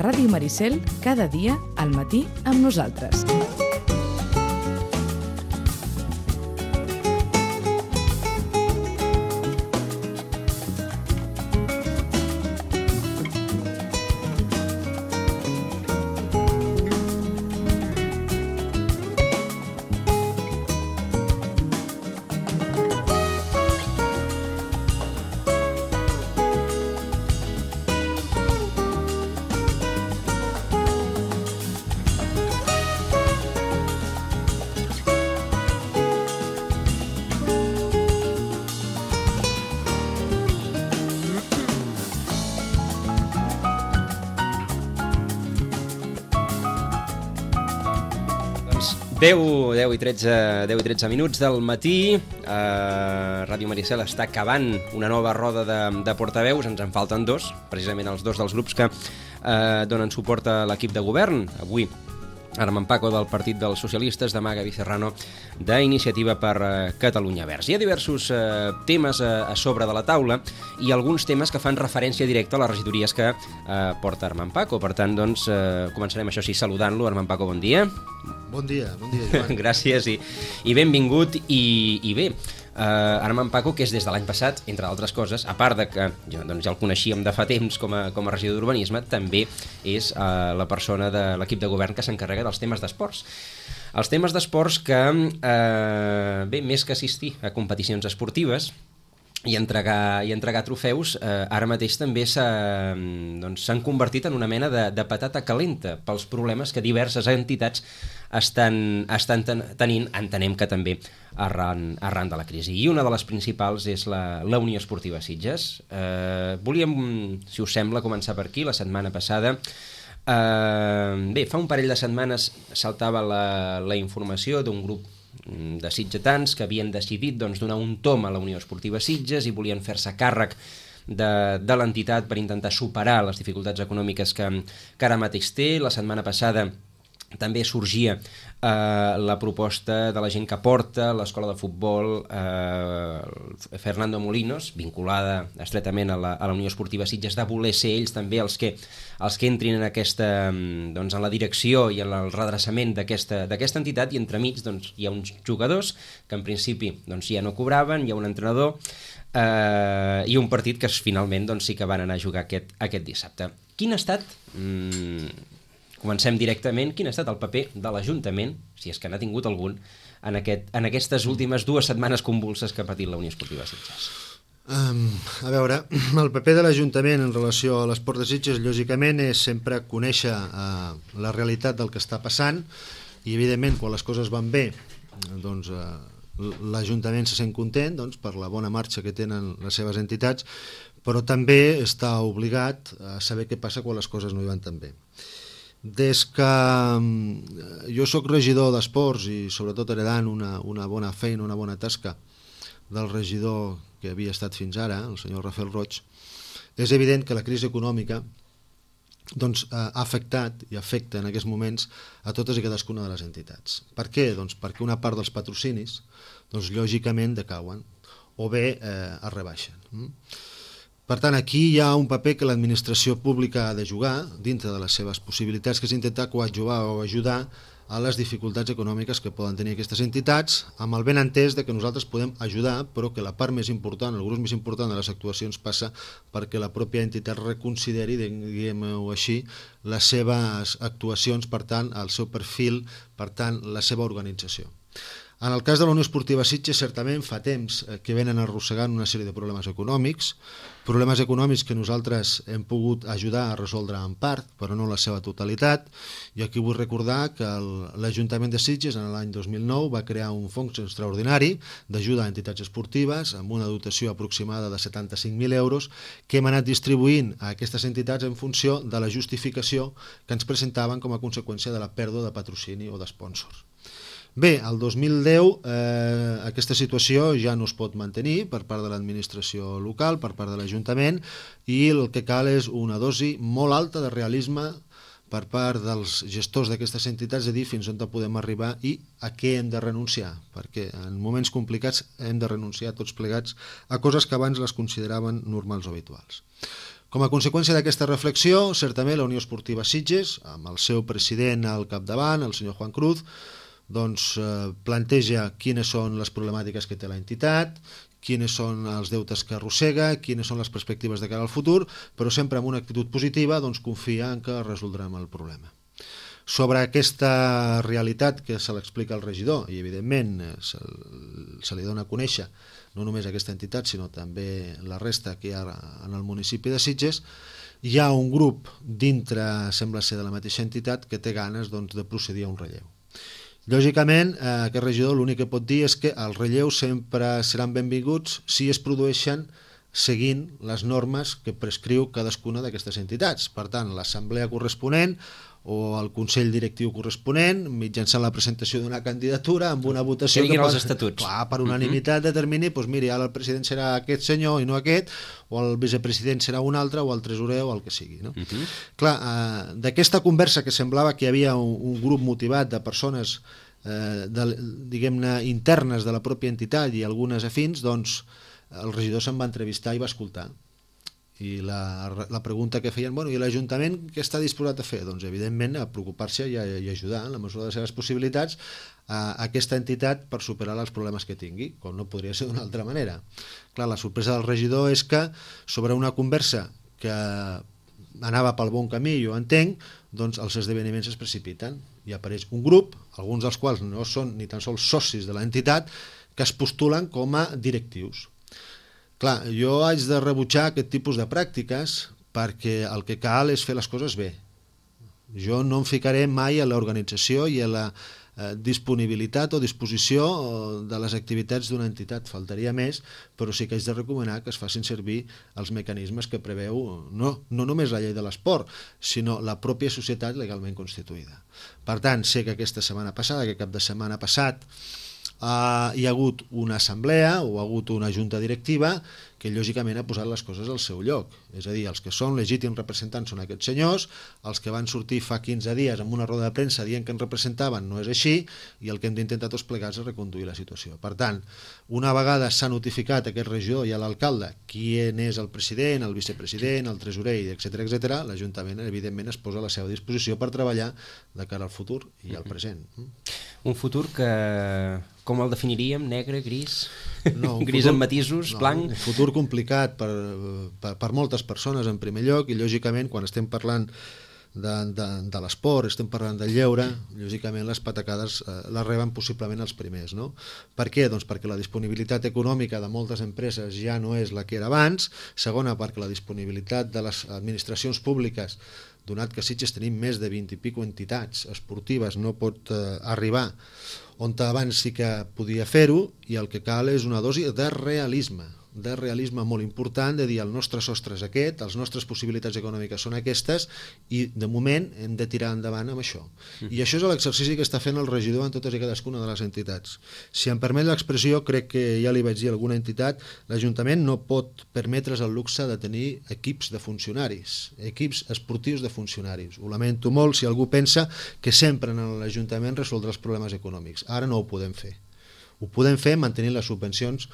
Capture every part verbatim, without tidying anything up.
Ràdio Maricel, cada dia al matí amb nosaltres. deu, deu i tretze minuts del matí. uh, Ràdio Maricel està acabant una nova roda de, de portaveus. Ens en falten dos, precisament els dos dels grups que uh, donen suport a l'equip de govern. Avui Armand Paco del Partit dels Socialistes, demà Gaby Serrano d'Iniciativa per uh, Catalunya Verds. Hi ha diversos uh, temes uh, a sobre de la taula i alguns temes que fan referència directa a les regidories que uh, porta Armand Paco. Per tant, doncs, uh, començarem això sí saludant-lo. Armand Paco, bon dia. Bon dia, bon dia, Joan. Gràcies i, i benvingut. I, i bé, uh, Armand Paco, que és des de l'any passat, entre altres coses, a part de que ja, doncs, ja el coneixíem de fa temps com a, com a regidor d'Urbanisme, també és uh, la persona de l'equip de govern que s'encarrega dels temes d'esports. Els temes d'esports que, uh, bé, més que assistir a competicions esportives i entregar, i entregar trofeus, eh, ara mateix també s'han doncs, convertit en una mena de, de patata calenta pels problemes que diverses entitats estan, estan ten, tenint, entenem que també arran, arran de la crisi. I una de les principals és la, la Unió Esportiva Sitges. Eh, volíem, si us sembla, començar per aquí. La setmana passada eh, bé, fa un parell de setmanes saltava la, la informació d'un grup de sitgetans que havien decidit doncs, donar un tom a la Unió Esportiva Sitges i volien fer-se càrrec de, de l'entitat per intentar superar les dificultats econòmiques que, que ara mateix té. La setmana passada també sorgia eh, la proposta de la gent que porta l'escola de futbol eh, Fernando Molinos, vinculada estretament a la, a la Unió Esportiva Sitges, de voler ser ells també els que, els que entrin en, aquesta, doncs, en la direcció i en el redreçament d'aquesta d'aquesta entitat, i entremig doncs, hi ha uns jugadors que en principi doncs, ja no cobraven, hi ha un entrenador eh, i un partit que finalment doncs, sí que van anar a jugar aquest, aquest dissabte. Quin ha estat... Mm, Comencem directament. Quin ha estat el paper de l'Ajuntament, si és que n'ha tingut algun, en, aquest, en aquestes últimes dues setmanes convulses que ha patit la Unió Esportiva Sitges? Um, a veure, el paper de l'Ajuntament en relació a l'esport de Sitges, lògicament, és sempre conèixer uh, la realitat del que està passant i, evidentment, quan les coses van bé, doncs uh, l'Ajuntament se sent content doncs, per la bona marxa que tenen les seves entitats, però també està obligat a saber què passa quan les coses no hi van tan bé. Des que jo sóc regidor d'esports i sobretot heredant una, una bona feina, una bona tasca del regidor que havia estat fins ara, el senyor Rafael Roig, és evident que la crisi econòmica doncs, ha afectat i afecta en aquests moments a totes i cadascuna de les entitats. Per què? Doncs perquè una part dels patrocinis doncs, lògicament decauen o bé eh, es rebaixen. Per tant, aquí hi ha un paper que l'administració pública ha de jugar dintre de les seves possibilitats, que és intentar coadjuvar o ajudar a les dificultats econòmiques que poden tenir aquestes entitats, amb el ben entès de que nosaltres podem ajudar, però que la part més important, el gruix més important de les actuacions passa perquè la pròpia entitat reconsideri, diguem-ho així, les seves actuacions, per tant, el seu perfil, per tant, la seva organització. En el cas de la Unió Esportiva Sitges, certament fa temps que venen arrossegant una sèrie de problemes econòmics, problemes econòmics que nosaltres hem pogut ajudar a resoldre en part, però no en la seva totalitat. I aquí vull recordar que l'Ajuntament de Sitges en l'any dos mil nou va crear un fons extraordinari d'ajuda a entitats esportives amb una dotació aproximada de setanta-cinc mil euros que hem anat distribuint a aquestes entitats en funció de la justificació que ens presentaven com a conseqüència de la pèrdua de patrocini o d'espònsors. Bé, el dos mil deu eh, aquesta situació ja no es pot mantenir per part de l'administració local, per part de l'Ajuntament, i el que cal és una dosi molt alta de realisme per part dels gestors d'aquestes entitats, de dir fins on podem arribar i a què hem de renunciar, perquè en moments complicats hem de renunciar tots plegats a coses que abans les consideraven normals o habituals. Com a conseqüència d'aquesta reflexió, certament la Unió Esportiva Sitges, amb el seu president al capdavant, el senyor Juan Cruz, doncs, eh, planteja quines són les problemàtiques que té l'entitat, quines són els deutes que arrossega, quines són les perspectives de cara al futur, però sempre amb una actitud positiva, doncs confia en que resoldrem el problema. Sobre aquesta realitat que se l'explica al regidor, i evidentment se, se li dona a conèixer no només aquesta entitat, sinó també la resta que hi ha en el municipi de Sitges, hi ha un grup dintre, sembla ser de la mateixa entitat, que té ganes doncs, de procedir a un relleu. Lògicament, eh, aquest regidor l'únic que pot dir és que els relleus sempre seran benvinguts si es produeixen seguint les normes que prescriu cadascuna d'aquestes entitats. Per tant, l'assemblea corresponent o el Consell Directiu corresponent, mitjançant la presentació d'una candidatura amb una votació... Que diguin que els estatuts. Clar, per unanimitat determini, doncs miri, ara el president serà aquest senyor i no aquest, o el vicepresident serà un altre, o el tresorer, o el que sigui. No? Uh-huh. Clar, eh, d'aquesta conversa que semblava que hi havia un, un grup motivat de persones eh, de, diguem-ne, internes de la pròpia entitat i algunes afins, doncs el regidor se'n va entrevistar i va escoltar. I la, la pregunta que feien, bueno, i l'Ajuntament què està disposat a fer? Doncs evidentment a preocupar-se i, a, i ajudar en la mesura de les seves possibilitats a, a aquesta entitat per superar els problemes que tingui, com no podria ser d'una altra manera. Clar, la sorpresa del regidor és que sobre una conversa que anava pel bon camí, jo entenc, doncs els esdeveniments es precipiten i apareix un grup, alguns dels quals no són ni tan sols socis de l'entitat, que es postulen com a directius. Clar, jo haig de rebutjar aquest tipus de pràctiques perquè el que cal és fer les coses bé. Jo no em ficaré mai a l'organització i a la eh, disponibilitat o disposició de les activitats d'una entitat, faltaria més, però sí que haig de recomanar que es facin servir els mecanismes que preveu no, no només la llei de l'esport, sinó la pròpia societat legalment constituïda. Per tant, sé que aquesta setmana passada, que cap de setmana passat, Uh, hi ha hagut una assemblea o ha hagut una junta directiva que lògicament ha posat les coses al seu lloc. És a dir, els que són legítims representants són aquests senyors, els que van sortir fa quinze dies amb una roda de premsa dient que ens representaven no és així, i el que hem d'intentar tots plegats és reconduir la situació. Per tant, una vegada s'ha notificat a aquest regidor i a l'alcalde qui és el president, el vicepresident, el tresorer, etcètera, etcètera, l'Ajuntament evidentment es posa a la seva disposició per treballar de cara al futur i al present. Un futur que, com el definiríem? Negre, gris? No, gris futur, amb matisos, no, blanc? Un futur complicat per, per, per moltes persones en primer lloc, i lògicament quan estem parlant de, de, de l'esport, estem parlant del lleure, lògicament les patacades eh, les reben possiblement els primers, no? Per què? Doncs perquè la disponibilitat econòmica de moltes empreses ja no és la que era abans. Segona, perquè la disponibilitat de les administracions públiques, donat que a Sitges tenim més de vint i pico entitats esportives, no pot eh, arribar on abans sí que podia fer-ho, i el que cal és una dosi de realisme, de realisme molt important, de dir el nostre sostre és aquest, les nostres possibilitats econòmiques són aquestes, i de moment hem de tirar endavant amb això. Mm. I això és l'exercici que està fent el regidor en totes i cadascuna de les entitats. Si em permet l'expressió, crec que ja li vaig dir a alguna entitat, l'Ajuntament no pot permetre's el luxe de tenir equips de funcionaris, equips esportius de funcionaris. Ho lamento molt si algú pensa que sempre en l'Ajuntament resoldrà els problemes econòmics. Ara no ho podem fer. Ho podem fer mantenint les subvencions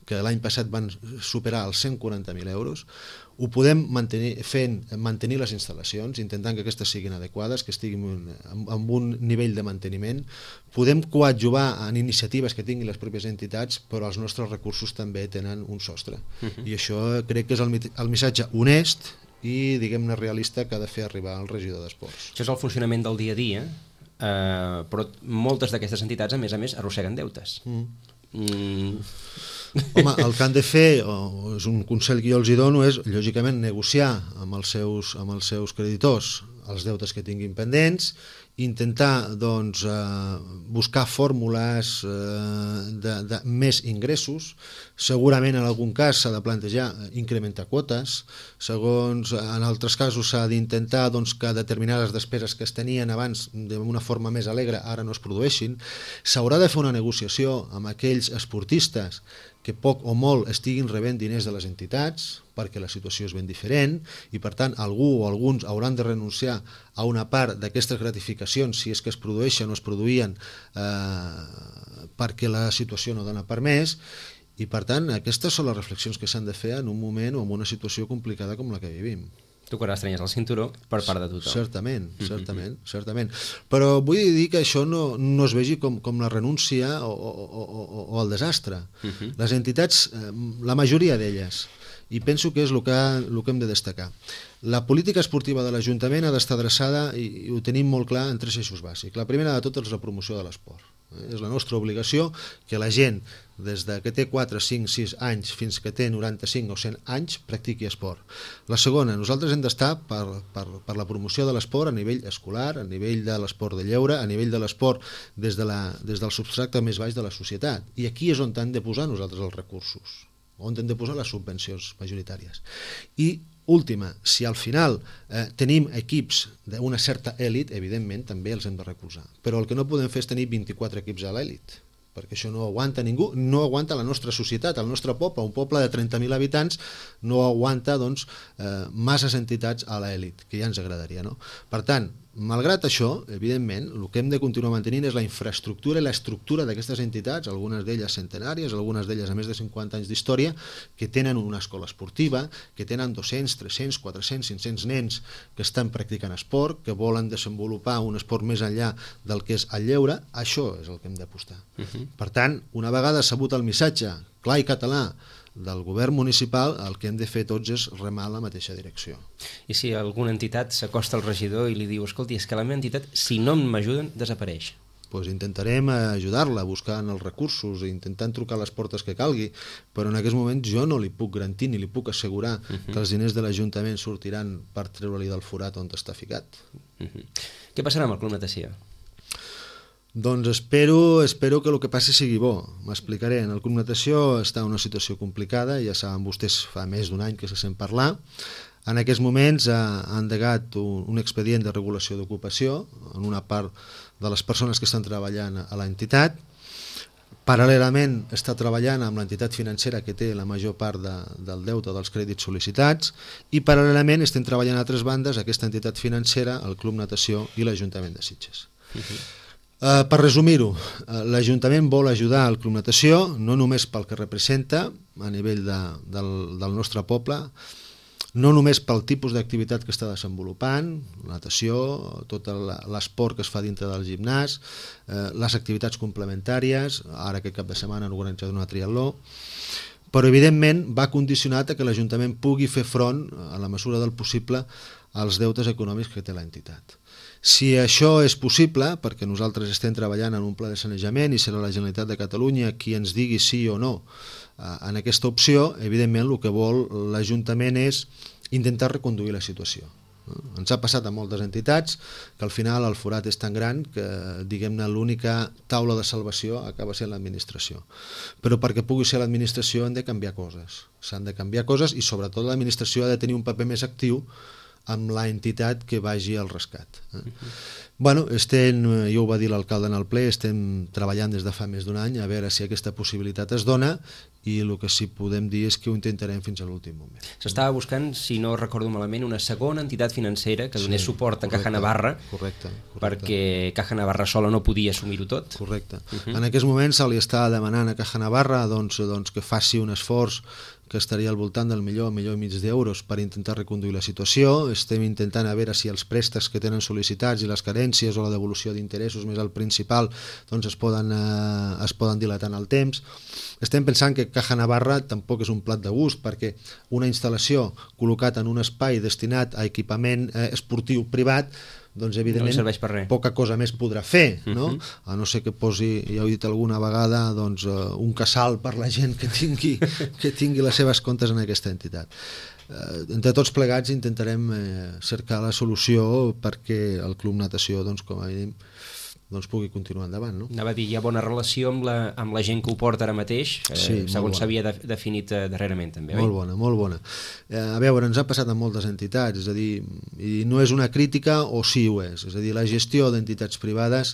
que l'any passat van superar els cent quaranta mil euros. Ho podem mantenir fent mantenir les instal·lacions, intentant que aquestes siguin adequades, que estiguin amb un nivell de manteniment. Podem coadjuvar en iniciatives que tinguin les pròpies entitats, però els nostres recursos també tenen un sostre. Uh-huh. I això crec que és el, el missatge honest i, diguem-ne, realista que ha de fer arribar el regidor d'Esports. Això és el funcionament del dia a dia, eh, però moltes d'aquestes entitats, a més a més, arrosseguen deutes. Mm. Mm. Home, el que han de fer, o és un consell que jo els hi dono, és lògicament negociar amb els seus, amb els seus creditors els deutes que tinguin pendents, intentar doncs, eh, buscar fórmules eh, de, de més ingressos. Segurament en algun cas s'ha de plantejar incrementar quotes, segons en altres casos s'ha d'intentar doncs, que determinades despeses que es tenien abans d'una forma més alegre ara no es produeixin. S'haurà de fer una negociació amb aquells esportistes que poc o molt estiguin rebent diners de les entitats, perquè la situació és ben diferent, i per tant algú o alguns hauran de renunciar a una part d'aquestes gratificacions, si és que es produeixen o es produïen, eh, perquè la situació no dona per més, I per tant, aquestes són les reflexions que s'han de fer en un moment o en una situació complicada com la que vivim. Tu quan estrenyes el cinturó per part de tothom. Certament, certament, mm-hmm. certament. Però vull dir que això no, no es vegi com, com la renúncia o, o, o, o el desastre. Mm-hmm. Les entitats, la majoria d'elles, i penso que és el que, el que hem de destacar. La política esportiva de l'Ajuntament ha d'estar adreçada, i, i ho tenim molt clar, en tres eixos bàsics. La primera de tot és la promoció de l'esport. Eh? És la nostra obligació que la gent, des de que té quatre, cinc, sis anys fins que té noranta-cinc o cent anys, practiqui esport. La segona, nosaltres hem d'estar per, per, per la promoció de l'esport a nivell escolar, a nivell de l'esport de lleure, a nivell de l'esport des, de la, des del substracte més baix de la societat. I aquí és on hem de posar nosaltres els recursos, on hem de posar les subvencions majoritàries. I última, si al final eh, tenim equips d'una certa èlit, evidentment també els hem de recolzar. Però el que no podem fer és tenir vint-i-quatre equips a l'èlit, perquè això no aguanta ningú, no aguanta la nostra societat, el nostre poble, un poble de trenta mil habitants no aguanta doncs, eh, masses entitats a l'èlit, que ja ens agradaria, no? Per tant, malgrat això, evidentment, el que hem de continuar mantenint és la infraestructura i l'estructura d'aquestes entitats, algunes d'elles centenàries, algunes d'elles a més de cinquanta anys d'història, que tenen una escola esportiva, que tenen dos-cents, tres-cents, quatre-cents, cinc-cents nens que estan practicant esport, que volen desenvolupar un esport més enllà del que és el lleure. Això és el que hem d'apostar. Uh-huh. Per tant, una vegada sabut el missatge clar i català del govern municipal, el que hem de fer tots és remar la mateixa direcció. I si alguna entitat s'acosta al regidor i li diu, escolti, és que la meva entitat, si no m'ajuden, desapareix. Pues intentarem ajudar-la buscant els recursos, intentant trucar a les portes que calgui, però en aquests moments jo no li puc garantir ni li puc assegurar uh-huh. que els diners de l'Ajuntament sortiran per treure-li del forat on està ficat. Uh-huh. Què passarà amb el Club Natació? Doncs espero, espero que el que passi sigui bo. M'explicaré. En el Club Natació està en una situació complicada, ja saben vostès, fa més d'un any que se sent parlar. En aquests moments ha endegat un, un expedient de regulació d'ocupació en una part de les persones que estan treballant a l'entitat. Paral·lelament està treballant amb l'entitat financera que té la major part de, del deute dels crèdits sol·licitats i paral·lelament estem treballant a altres bandes, aquesta entitat financera, el Club Natació i l'Ajuntament de Sitges. Uh-huh. Uh, per resumir-ho, uh, l'Ajuntament vol ajudar al Club Natació, no només pel que representa a nivell de, del, del nostre poble, no només pel tipus d'activitat que està desenvolupant, natació, tot l'esport que es fa dintre del gimnàs, eh, les activitats complementàries, ara aquest cap de setmana han organitzat una triatló, però evidentment va condicionat a que l'Ajuntament pugui fer front, a la mesura del possible, als deutes econòmics que té l'entitat. Si això és possible, perquè nosaltres estem treballant en un pla de sanejament i serà la Generalitat de Catalunya qui ens digui sí o no en aquesta opció, evidentment el que vol l'Ajuntament és intentar reconduir la situació. Ens ha passat a moltes entitats que al final el forat és tan gran que, diguem-ne, l'única taula de salvació acaba sent l'administració. Però perquè pugui ser l'administració han de canviar coses. S'han de canviar coses i sobretot l'administració ha de tenir un paper més actiu amb l'entitat que vagi al rescat. Eh? Uh-huh. Bueno, estem, ja ho va dir l'alcalde en el ple, estem treballant des de fa més d'un any a veure si aquesta possibilitat es dona i el que sí podem dir és que ho intentarem fins a l'últim moment. S'estava buscant, si no recordo malament, una segona entitat financera que donés sí, suport a correcte, Caja Navarra, correcte, correcte. perquè Caja Navarra sola no podia assumir-ho tot. Correcte. Uh-huh. En aquests moments se li està demanant a Caja Navarra doncs, doncs, que faci un esforç que estaria al voltant del milió, milió i mig d'euros per intentar reconduir la situació. Estem intentant a veure si els préstecs que tenen sol·licitats i les carències o la devolució d'interessos més al principal doncs es, poden, eh, es poden dilatar en el temps. Estem pensant que Caja Navarra tampoc és un plat de gust perquè una instal·lació col·locat en un espai destinat a equipament eh, esportiu privat doncs evidentment no poca cosa més podrà fer, no? Uh-huh. A no ser que posi, ja ho he dit alguna vegada, doncs, uh, un casal per la gent que tingui, que tingui les seves comptes en aquesta entitat. Uh, entre tots plegats intentarem eh, cercar la solució perquè el Club Natació, doncs, com a mínim, doncs pugui continuar endavant. No? Anava a dir, hi ha bona relació amb la, amb la gent que ho porta ara mateix, eh, sí, segons s'havia de, definit eh, darrerament també, oi? Molt bona, molt bona. Eh, a veure, ens ha passat amb moltes entitats, és a dir, i no és una crítica o sí ho és, és a dir, la gestió d'entitats privades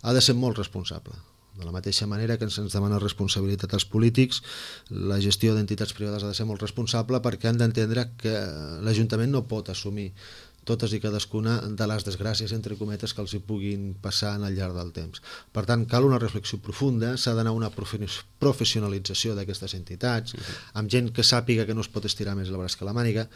ha de ser molt responsable. De la mateixa manera que ens demana responsabilitat als polítics, la gestió d'entitats privades ha de ser molt responsable perquè han d'entendre que l'Ajuntament no pot assumir totes i cadascuna de les desgràcies, entre cometes, que els hi puguin passar al llarg del temps. Per tant, cal una reflexió profunda, s'ha d'anar a una professionalització d'aquestes entitats, amb gent que sàpiga que no es pot estirar més el braç que la màniga,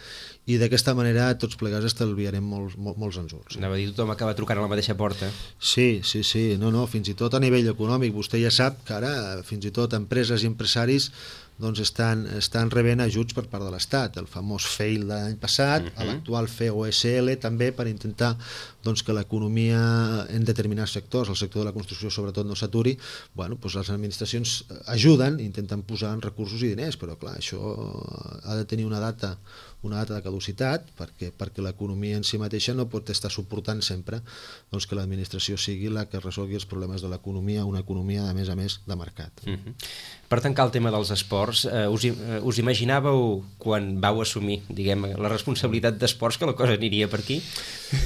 i d'aquesta manera tots plegats estalviarem molts, molts, molts ensurts. Anava a dir, tothom acaba trucant a la mateixa porta. Sí, sí, sí, no, no, fins i tot a nivell econòmic, vostè ja sap que ara fins i tot empreses i empresaris doncs estan, estan rebent ajuts per part de l'Estat, el famós FEIL de l'any passat, uh -huh. l'actual F E O S L també, per intentar doncs, que l'economia en determinats sectors, el sector de la construcció sobretot, no s'aturi. Bueno, doncs les administracions ajuden, intenten posar en recursos i diners, però clar, això ha de tenir una data una data de caducitat, perquè, perquè l'economia en si mateixa no pot estar suportant sempre doncs, que l'administració sigui la que resolgui els problemes de l'economia, una economia, a més a més, de mercat. Uh -huh. Per tancar el tema dels esports, eh, us, eh, us imaginàveu, quan vau assumir, diguem, la responsabilitat d'esports, que la cosa aniria per aquí?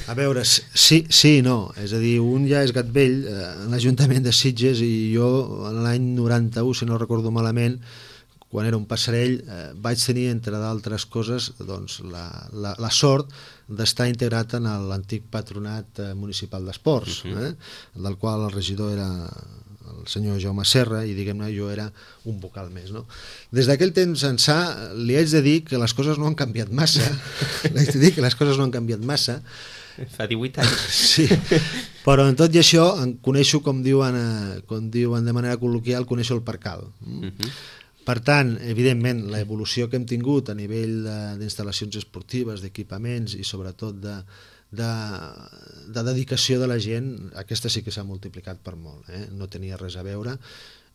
A veure, sí, sí i no. És a dir, un ja és gat vell, eh, en l'Ajuntament de Sitges, i jo l'any noranta-u, si no recordo malament, quan era un passarell, eh, vaig tenir, entre d'altres coses, doncs, la, la, la sort d'estar integrat en l'antic patronat eh, municipal d'esports, uh -huh. eh, del qual el regidor era el senyor Jaume Serra, i diguem-ne jo era un vocal més, no? Des d'aquell temps ençà li haig de dir que les coses no han canviat massa, li haig de dir que les coses no han canviat massa. Fa divuit anys. Sí, però en tot i això em coneixo, com diuen, eh, com diuen de manera col·loquial, coneixo el percal. Mm? Uh -huh. Per tant, evidentment, l'evolució que hem tingut a nivell d'instal·lacions esportives, d'equipaments i sobretot de, de, de dedicació de la gent, aquesta sí que s'ha multiplicat per molt. Eh? No tenia res a veure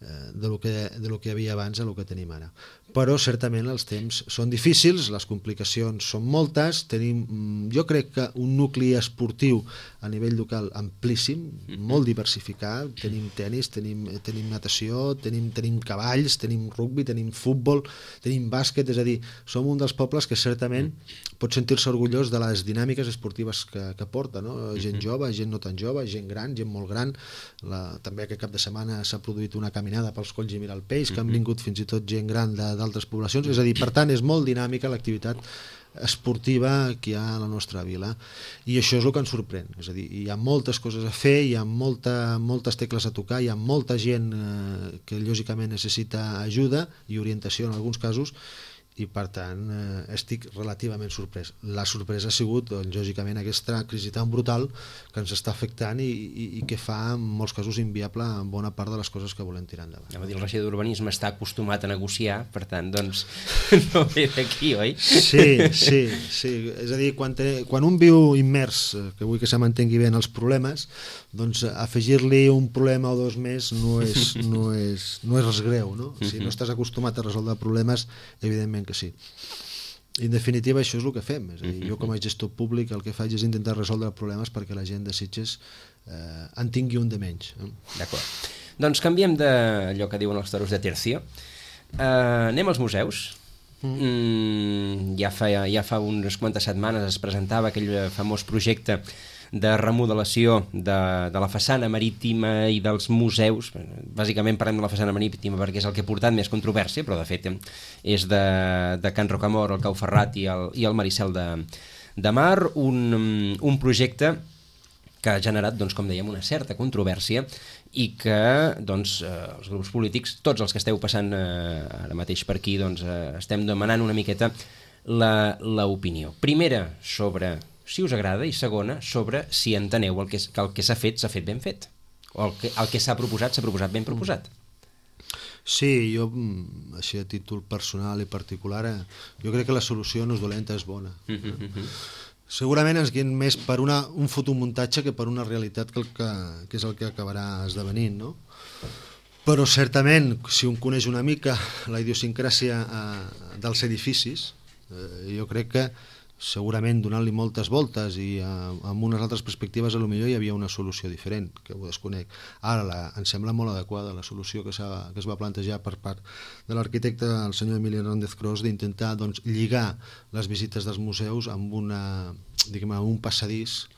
eh, de lo que, de lo que hi havia abans a lo que tenim ara. Però certament els temps són difícils, les complicacions són moltes, tenim, jo crec que un nucli esportiu a nivell local amplíssim, molt diversificat, tenim tenis, tenim, tenim natació, tenim, tenim cavalls, tenim rugbi, tenim futbol, tenim bàsquet, és a dir, som un dels pobles que certament pot sentir-se orgullós de les dinàmiques esportives que, que porta, no? Gent jove, gent no tan jove, gent gran, gent molt gran, la, també aquest cap de setmana s'ha produït una caminada pels Colls i Miralpells, que han vingut fins i tot gent gran de d'altres poblacions, és a dir, per tant és molt dinàmica l'activitat esportiva que hi ha a la nostra vila, i això és el que ens sorprèn, és a dir, hi ha moltes coses a fer, hi ha molta, moltes tecles a tocar, hi ha molta gent eh, que lògicament necessita ajuda i orientació en alguns casos, i per tant eh, estic relativament sorprès. La sorpresa ha sigut, doncs, lògicament, aquesta crisi tan brutal que ens està afectant i, i, i que fa en molts casos inviable en bona part de les coses que volem tirar endavant. Dir, el regidor d'Urbanisme està acostumat a negociar, per tant, doncs, no ve d'aquí, oi? Sí, sí, sí. És a dir, quan, te, quan un viu immers, que vull que se mantengui bé en els problemes, doncs afegir-li un problema o dos més no és, no és, no és res greu, no? Si no estàs acostumat a resoldre problemes, evidentment que sí. En definitiva, això és el que fem. És a dir, jo com a gestor públic el que faig és intentar resoldre problemes perquè la gent de Sitges eh, en tingui un de menys. Eh? D'acord. Doncs canviem d'allò que diuen els toros de tercio. Uh, anem als museus. Mm. Mm, ja, fa, ja fa unes quantes setmanes es presentava aquell famós projecte de remodelació de, de la façana marítima i dels museus. Bàsicament parlem de la façana marítima perquè és el que ha portat més controvèrsia, però de fet és de, de Can Rocamora, el Cau Ferrat i el, i el Maricel de, de Mar, un, un projecte que ha generat, doncs, com dèiem, una certa controvèrsia i que doncs, eh, els grups polítics, tots els que esteu passant eh, ara mateix per aquí, doncs, eh, estem demanant una miqueta l'opinió. Primera, sobre si us agrada, i segona, sobre si enteneu el que, que el que s'ha fet s'ha fet ben fet, o el que, el que s'ha proposat s'ha proposat ben proposat. Sí, jo, així a títol personal i particular, jo crec que la solució no és dolenta, és bona. Mm-hmm. Segurament ens guien més per una, un fotomuntatge que per una realitat que, el que, que és el que acabarà esdevenint, no? Però certament, si un coneix una mica la idiosincràsia eh, dels edificis, eh, jo crec que segurament donant-li moltes voltes i eh, amb unes altres perspectives a lo millor hi havia una solució diferent, que ho desconec. Ara la, em sembla molt adequada la solució que, que es va plantejar per part de l'arquitecte, el senyor Emili Hernández Cros, d'intentar doncs, lligar les visites dels museus amb, una, diguem, amb un passadís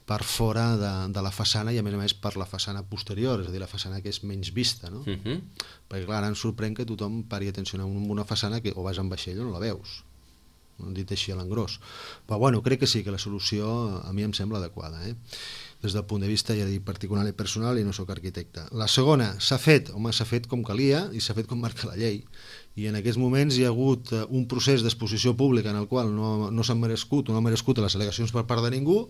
per fora de, de la façana i a més a més per la façana posterior, és a dir, la façana que és menys vista, no? Uh-huh. Perquè clar, ara ens sorprèn que tothom pari atenció a una façana que o vas en vaixell o no la veus. dit així a l'engròs. Però bueno, crec que sí, que la solució a mi em sembla adequada, eh? Des del punt de vista, ja dic, particular i personal, i no sóc arquitecte. La segona, s'ha fet, home, s'ha fet com calia i s'ha fet com marca la llei. I en aquests moments hi ha hagut un procés d'exposició pública en el qual no, no s'han merescut, no han merescut les al·legacions per part de ningú,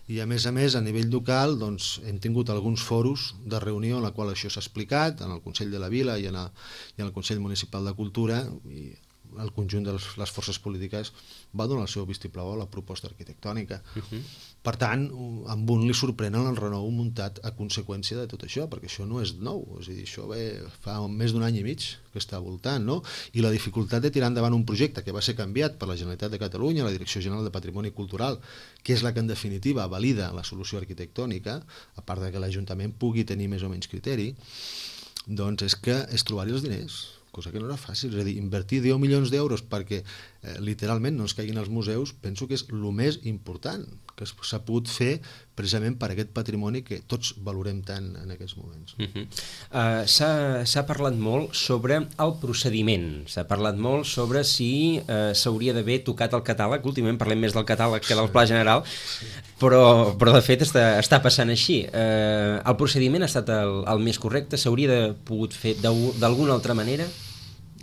i a més a més, a nivell local, doncs, hem tingut alguns foros de reunió en la qual això s'ha explicat, en el Consell de la Vila i en, a, i en el Consell Municipal de Cultura, i el conjunt de les forces polítiques va donar el seu vistiplau a la proposta arquitectònica. Uh-huh. Per tant, amb un li sorprèn el renou muntat a conseqüència de tot això, perquè això no és nou, és a dir, això ve fa més d'un any i mig que està voltant, no? I la dificultat de tirar endavant un projecte que va ser canviat per la Generalitat de Catalunya, la Direcció General de Patrimoni Cultural, que és la que en definitiva valida la solució arquitectònica, a part de que l'Ajuntament pugui tenir més o menys criteri, doncs és que és trobar-hi els diners, cosa que no era fàcil, és a dir, invertir deu milions d'euros perquè eh, literalment no ens caiguin els museus, penso que és el més important que s'ha pogut fer precisament per aquest patrimoni que tots valorem tant en aquests moments. Uh-huh. uh, S'ha parlat molt sobre el procediment, s'ha parlat molt sobre si uh, s'hauria d'haver tocat el catàleg, últimament parlem més del catàleg que del pla general, però, però de fet està, està passant així. Uh, el procediment ha estat el, el més correcte, s'hauria de pogut fer d'alguna altra manera?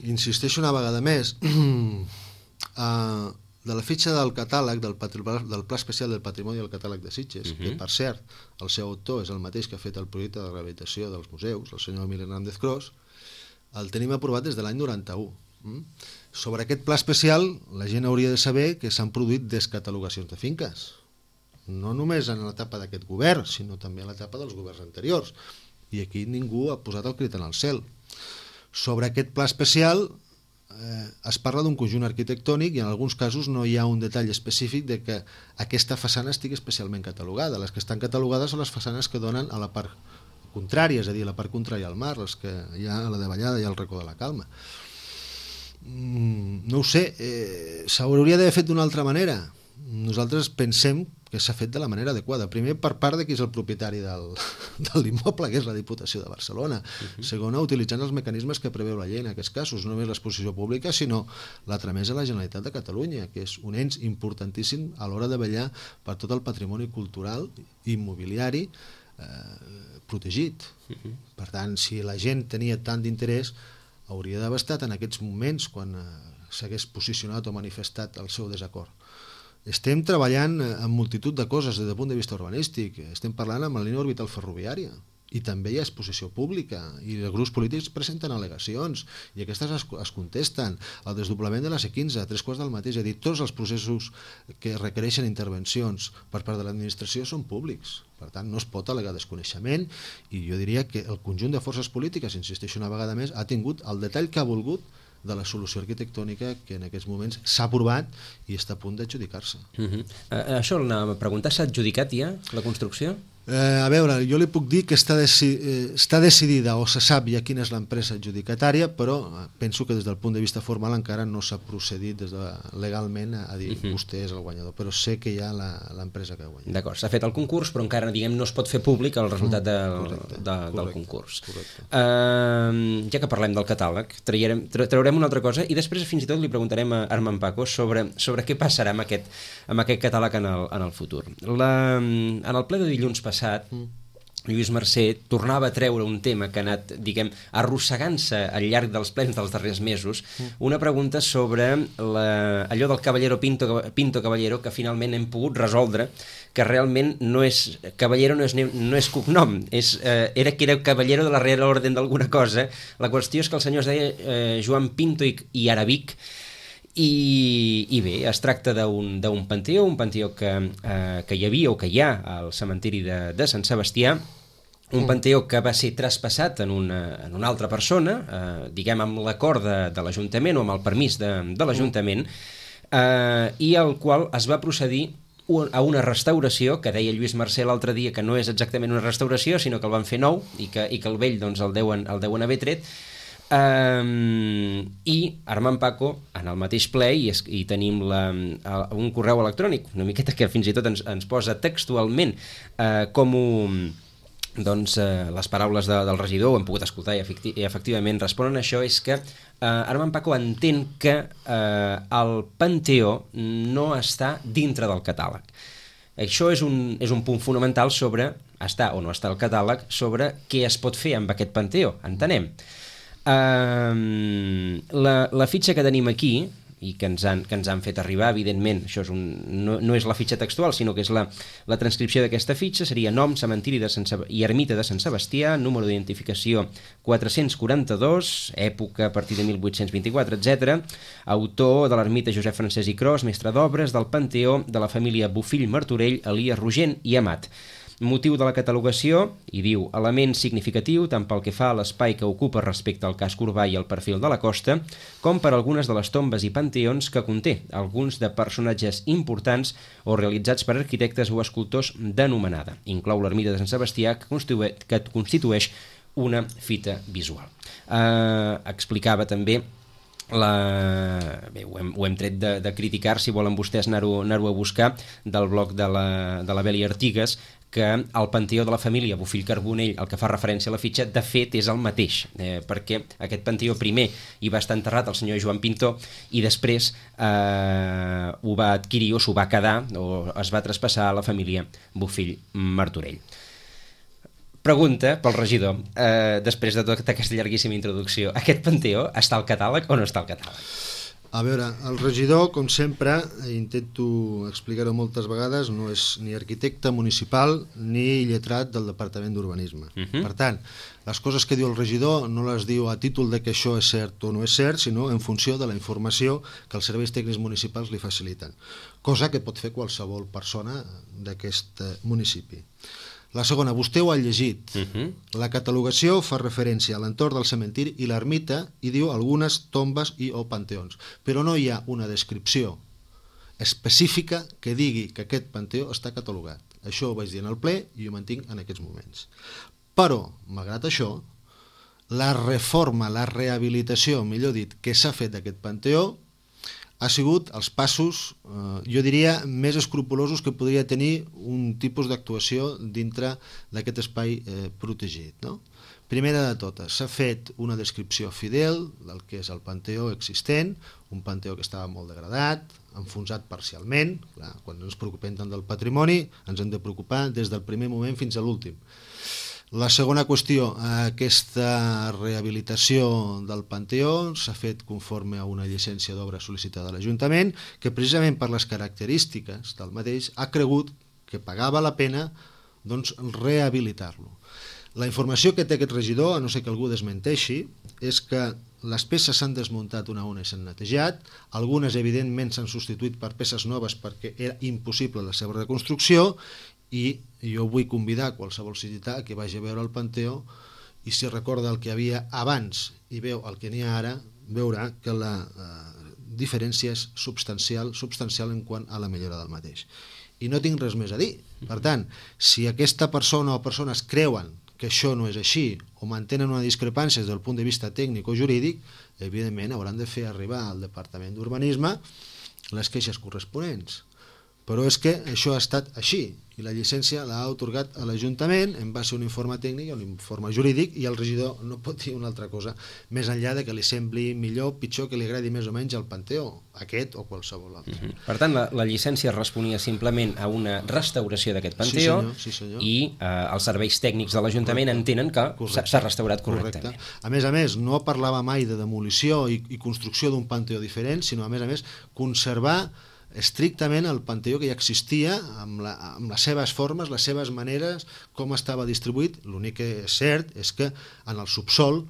Insisteixo una vegada més, uh, de la fitxa del catàleg del, del Pla Especial del Patrimoni del Catàleg de Sitges, uh-huh. que per cert, el seu autor és el mateix que ha fet el projecte de rehabilitació dels museus, el senyor Emili Hernández Cros, el tenim aprovat des de l'any noranta-u. Mm? Sobre aquest pla especial, la gent hauria de saber que s'han produït descatalogacions de finques, no només en l'etapa d'aquest govern, sinó també en l'etapa dels governs anteriors, i aquí ningú ha posat el crit en el cel. Sobre aquest pla especial eh, es parla d'un conjunt arquitectònic i en alguns casos no hi ha un detall específic de que aquesta façana estigui especialment catalogada. Les que estan catalogades són les façanes que donen a la part contrària, és a dir, a la part contrària al mar, les que hi ha a la davallada i al racó de la Calma. Mm, no ho sé, eh, s'hauria d'haver fet d'una altra manera. Nosaltres pensem que s'ha fet de la manera adequada. Primer, per part de qui és el propietari del, de l'immoble, que és la Diputació de Barcelona. Uh-huh. Segona, utilitzant els mecanismes que preveu la llei en aquests casos, no només l'exposició pública, sinó la tramesa a la Generalitat de Catalunya, que és un ens importantíssim a l'hora de vetllar per tot el patrimoni cultural i immobiliari eh, protegit. Uh-huh. Per tant, si la gent tenia tant d'interès, hauria d'haver estat en aquests moments quan eh, s'hagués posicionat o manifestat el seu desacord. Estem treballant en multitud de coses des del punt de vista urbanístic. Estem parlant amb la línia orbital ferroviària i també hi ha exposició pública i els grups polítics presenten al·legacions i aquestes es, es contesten. El desdoblament de la C quinze, a tres quarts del mateix, és a dir, tots els processos que requereixen intervencions per part de l'administració són públics. Per tant, no es pot al·legar desconeixement i jo diria que el conjunt de forces polítiques, insisteixo una vegada més, ha tingut el detall que ha volgut de la solució arquitectònica que en aquests moments s'ha aprovat i està a punt d'adjudicar-se. Uh-huh. uh, això anàvem a preguntar, s'ha adjudicat ja la construcció? Eh, a veure, jo li puc dir que està, deci eh, està decidida o se sap ja quina és l'empresa adjudicatària, però penso que des del punt de vista formal encara no s'ha procedit des de, legalment a dir uh-huh. vostè és el guanyador, però sé que hi ha l'empresa que ha guanyat. D'acord, s'ha fet el concurs, però encara diguem no es pot fer públic el resultat del, correcte, de, correcte, del concurs. Uh, ja que parlem del catàleg, traurem, traurem una altra cosa i després fins i tot li preguntarem a Armand Paco sobre, sobre què passarà amb aquest, amb aquest catàleg en el, en el futur. La, en el ple de dilluns passat Lluís Mercè tornava a treure un tema que ha anat, diguem, arrossegant-se al llarg dels plens dels darrers mesos, una pregunta sobre la, allò del Caballero Pinto, Pinto Caballero, que finalment hem pogut resoldre, que realment no és Caballero, no és, no és cognom, és, eh, era que era Caballero de la Real Orden d'alguna cosa. La qüestió és que el senyor es deia eh, Joan Pinto i, i Arabic, I, i bé, es tracta d'un panteó, un panteó que, eh, que hi havia o que hi ha al cementiri de, de Sant Sebastià, un panteó que va ser traspassat en una, en una altra persona, eh, diguem amb l'acord de, de l'Ajuntament o amb el permís de, de l'Ajuntament, eh, i al qual es va procedir a una restauració, que deia Lluís Mercè l'altre dia que no és exactament una restauració, sinó que el van fer nou i que, i que el vell doncs, el, deuen, el deuen haver tret. Um, i Armand Paco en el mateix ple i, es, i tenim la, un correu electrònic una miqueta que fins i tot ens, ens posa textualment uh, com, ho, doncs eh, les paraules de, del regidor, ho hem pogut escoltar i, efecti i efectivament responen a això, és que eh, Armand Paco entén que eh, el Panteó no està dintre del catàleg. Això és un, és un punt fonamental sobre està o no està el catàleg, sobre què es pot fer amb aquest Panteó, entenem. Uh, la, la fitxa que tenim aquí i que ens han, que ens han fet arribar, evidentment, això és un, no, no és la fitxa textual, sinó que és la, la transcripció d'aquesta fitxa, seria nom, cementiri de Sant i ermita de Sant Sebastià, número d'identificació quatre-cents quaranta-dos, època a partir de mil vuit-cents vint-i-quatre, etcètera. Autor de l'ermita Josep Francesc i Cros, mestre d'obres del Panteó de la família Bofill, Martorell, Elies, Rogent i Amat. Motiu de la catalogació, i diu, element significatiu tant pel que fa a l'espai que ocupa respecte al casc urbà i al perfil de la costa, com per algunes de les tombes i panteons que conté, alguns de personatges importants o realitzats per arquitectes o escultors d'anomenada. Inclou l'ermita de Sant Sebastià, que constitueix, que constitueix una fita visual. Eh, explicava també La... Bé, ho, hem, ho hem tret de, de criticar, si volen vostès anar-ho anar a buscar, del blog de la, de la Beli Artigas, que el Panteó de la família Bofill Carbonell, el que fa referència a la fitxa, de fet és el mateix, eh, perquè aquest Panteó primer hi va estar enterrat el senyor Joan Pintor i després eh, ho va adquirir o s'ho va quedar o es va traspassar a la família Bofill Martorell. Pregunta pel regidor, eh, després de tota aquesta llarguíssima introducció, aquest Panteó està al catàleg o no està al catàleg? A veure, el regidor, com sempre, intento explicar-ho moltes vegades, no és ni arquitecte municipal ni lletrat del Departament d'Urbanisme. Uh -huh. Per tant, les coses que diu el regidor no les diu a títol de que això és cert o no és cert, sinó en funció de la informació que els serveis tècnics municipals li faciliten, cosa que pot fer qualsevol persona d'aquest municipi. La segona, vostè ho ha llegit. Uh-huh. La catalogació fa referència a l'entorn del cementiri i l'ermita i diu algunes tombes i o panteons, però no hi ha una descripció específica que digui que aquest panteó està catalogat. Això ho vaig dir en el ple i ho mantinc en aquests moments. Però, malgrat això, la reforma, la rehabilitació, millor dit, que s'ha fet d'aquest panteó ha sigut els passos, eh, jo diria, més escrupulosos que podria tenir un tipus d'actuació dintre d'aquest espai eh, protegit, no? Primera de totes, s'ha fet una descripció fidel del que és el panteó existent, un panteó que estava molt degradat, enfonsat parcialment. Clar, quan ens preocupem tant del patrimoni, ens hem de preocupar des del primer moment fins a l'últim. La segona qüestió, aquesta rehabilitació del Panteó s'ha fet conforme a una llicència d'obra sol·licitada a l'Ajuntament, que precisament per les característiques del mateix ha cregut que pagava la pena doncs, rehabilitar-lo. La informació que té aquest regidor, a no ser que algú desmenteixi, és que les peces s'han desmuntat una a una i s'han netejat, algunes evidentment s'han substituït per peces noves perquè era impossible la seva reconstrucció, i jo vull convidar qualsevol ciutadà que vagi a veure el Panteó i si recorda el que hi havia abans i veu el que n'hi ha ara, veurà que la eh, diferència és substancial, substancial en quant a la millora del mateix. I no tinc res més a dir. Per tant, si aquesta persona o persones creuen que això no és així o mantenen una discrepància des del punt de vista tècnic o jurídic, evidentment hauran de fer arribar al Departament d'Urbanisme les queixes corresponents. Però és que això ha estat així i la llicència l'ha atorgat a l'Ajuntament en base a un informe tècnic i un informe jurídic i el regidor no pot dir una altra cosa més enllà de que li sembli millor o pitjor, que li agradi més o menys el Panteó, aquest o qualsevol altre. Uh-huh. Per tant, la, la llicència responia simplement a una restauració d'aquest Panteó. Sí, senyor, sí, senyor. I eh, els serveis tècnics de l'Ajuntament entenen que s'ha restaurat correctament. Correcte. A més a més, no parlava mai de demolició i, i construcció d'un Panteó diferent, sinó a més a més conservar estrictament el Panteó que ja existia amb, la, amb les seves formes, les seves maneres, com estava distribuït. L'únic que és cert és que en el subsol